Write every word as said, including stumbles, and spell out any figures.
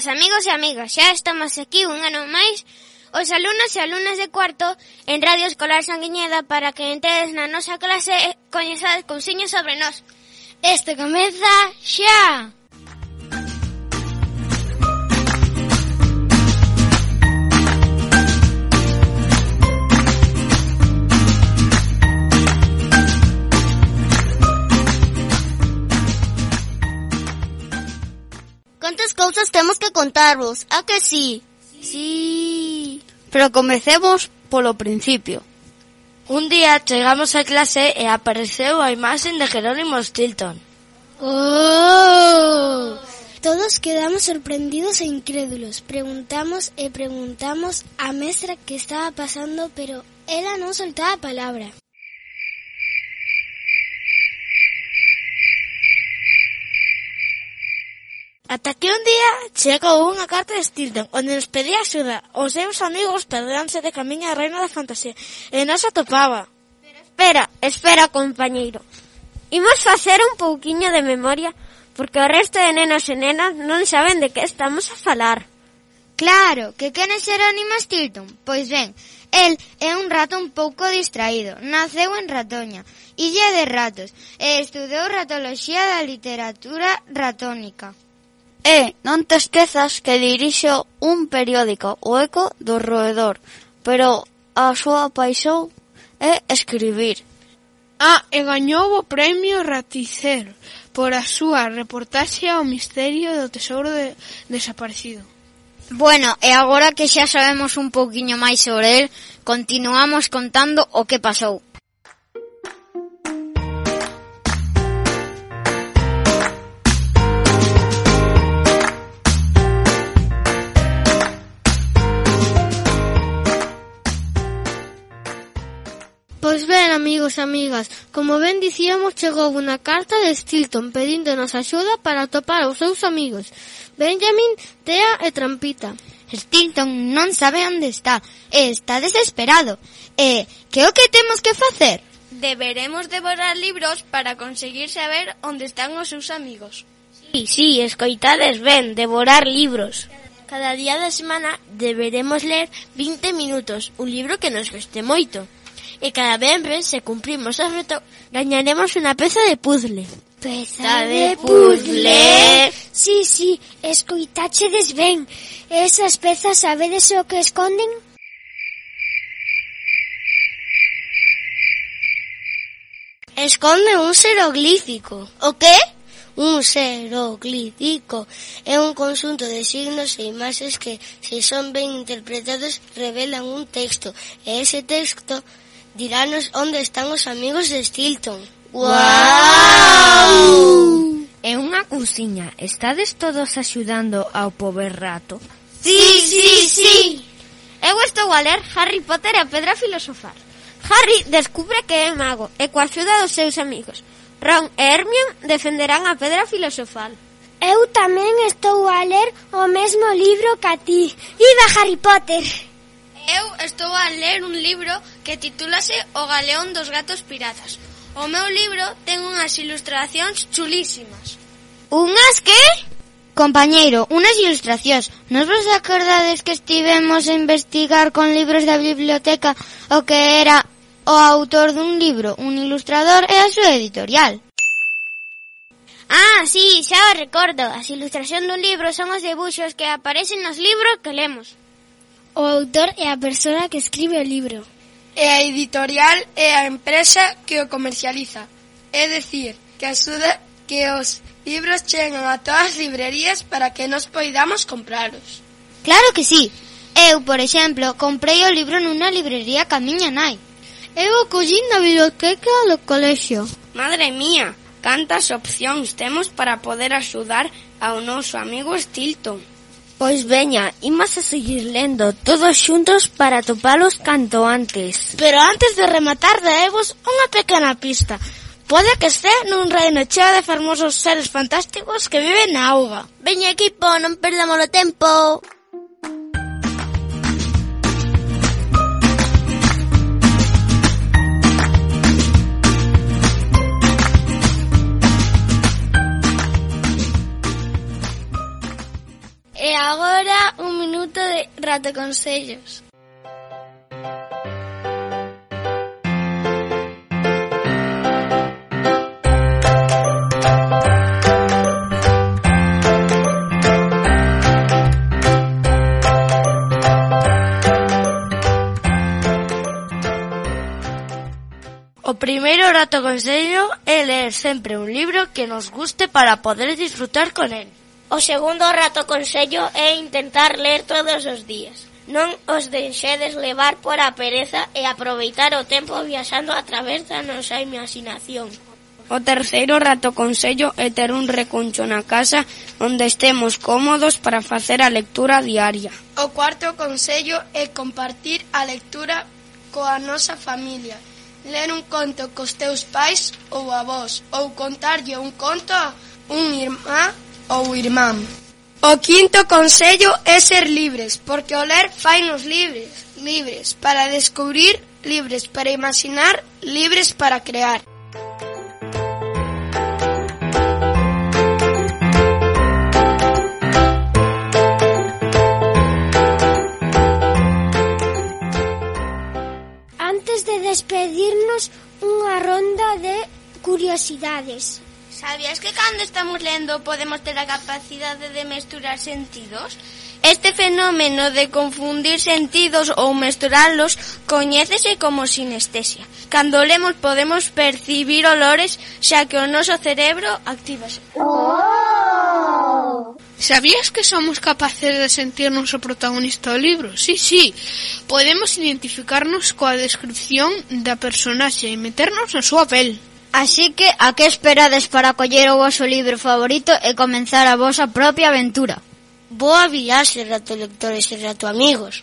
días, amigos e amigas. Xa estamos aquí un ano máis os alumnos e alumnas de cuarto en Radio Escolar Sanguiñeda para que entedes na nosa clase e coñezades cousiños sobre nós. Este comeza xa! Cantas cousas temos que contarvos, a que sí? Sí. Pero comecemos polo principio. Un día chegamos a clase e apareceu a imaxe de Jerónimo Stilton. ¡Oh! Todos quedamos sorprendidos e incrédulos. Preguntamos e preguntamos á mestra que estaba pasando, pero ela non soltaba a palabra. Ata que un día chegou unha carta de Stilton onde nos pedía axuda. Os seus amigos perderanse de camiño a reina da fantasía e non se atopaba. Pero espera, espera, compañeiro. Imos facer un pouquiño de memoria porque o resto de nenos e nenas non saben de que estamos a falar. Claro, que quen é Jerónimo Stilton? Pois ben, el é un rato un pouco distraído. Naceu en Ratoña, illa de ratos, e estudou ratoloxía da literatura ratónica. E non te esquezas que dirixo un periódico, o Eco do Roedor, pero a súa paixón é escribir. Ah, e gañou o premio Raticero por a súa reportaxe ao misterio do tesouro de, desaparecido. Bueno, e agora que xa sabemos un pouquiño máis sobre el, continuamos contando o que pasou. Pois ben, amigos e amigas, como ben dicíamos, chegou unha carta de Stilton pedíndonos axuda para atopar os seus amigos, Benjamin, Tea e Trampita. Stilton non sabe onde está, e está desesperado. E que o que temos que facer? Deberemos devorar libros para conseguir saber onde están os seus amigos. Sí, sí, escoitades ben, devorar libros. Cada día da semana deberemos ler vinte minutos, un libro que nos guste moito. E cada venres, se cumprimos o reto, gañaremos unha peza de puzzle. Peza de puzzle? Sí, sí, escoitáchedes ben. Esas pezas sabedes o que esconden? Esconde un xeroglífico. O que? Un xeroglífico é un conxunto de signos e imaxes que, se son ben interpretados, revelan un texto. E ese texto dirános onde están os amigos de Stilton. ¡Guau! É unha cousiña. Estades todos axudando ao pobre rato? Sí, sí, sí. Eu estou a ler Harry Potter e a Pedra Filosofal. Harry descubre que é mago e coa axuda dos seus amigos Ron e Hermione defenderán a Pedra Filosofal. Eu tamén estou a ler o mesmo libro que a ti. Viva Harry Potter! Eu estou a ler un libro que titúlase O Galeón dos Gatos Piratas. O meu libro ten unhas ilustracións chulísimas. Unhas que? Compañeiro, unhas ilustracións. Nos vos acordades que estivemos a investigar con libros da biblioteca o que era o autor dun libro, un ilustrador e a súa editorial? Ah, sí, xa o recordo. As ilustracións dun libro son os debuxos que aparecen nos libros que lemos. O autor é a persoa que escribe o libro. E a editorial é a empresa que o comercializa. É dicir, que axuda que os libros cheguen a todas as librerías para que nos poidamos compralos. Claro que sí. Eu, por exemplo, comprei o libro nunha librería ca miña nai. Eu o collín na biblioteca do colexio. Madre mía, cantas opcións temos para poder axudar ao noso amigo Stilton. Pois veña, imos a seguir lendo todos xuntos para topalos canto antes. Pero antes de rematar, daevos unha pequena pista. Pode que este nun reino cheo de fermosos seres fantásticos que viven na auga. Veña, equipo, non perdamos o tempo. agora un minuto de ratoconsellos. O primeiro ratoconsello é ler sempre un libro que nos guste para poder disfrutar con él. O segundo ratoconsello é intentar ler todos os días. Non os deixedes levar por a pereza e aproveitar o tempo viaxando a través da nosa imaginación. O terceiro ratoconsello é ter un recuncho na casa onde estemos cómodos para facer a lectura diaria. O cuarto consello é compartir a lectura coa nosa familia. Ler un conto cos teus pais ou avós, ou contarlle un conto a un irmá ou irmán. O quinto consello é ser libres, porque o ler fainos libres, libres para descubrir, libres para imaginar, libres para crear. Antes de despedirnos, unha ronda de curiosidades. ¿Sabías que cando estamos lendo podemos ter a capacidade de mesturar sentidos? Este fenómeno de confundir sentidos ou mesturalos coñécese como sinestesia. Cando lemos podemos percibir olores, xa que o noso cerebro actívase. Oh! ¿Sabías que somos capaces de sentirnos o protagonista do libro? Sí, sí. Podemos identificarnos coa descripción da personaxe e meternos na súa pel. Así que, a que esperades para coller o voso libro favorito e comenzar a vosa propia aventura? Boa viaxe, ratolectores e ratoamigos.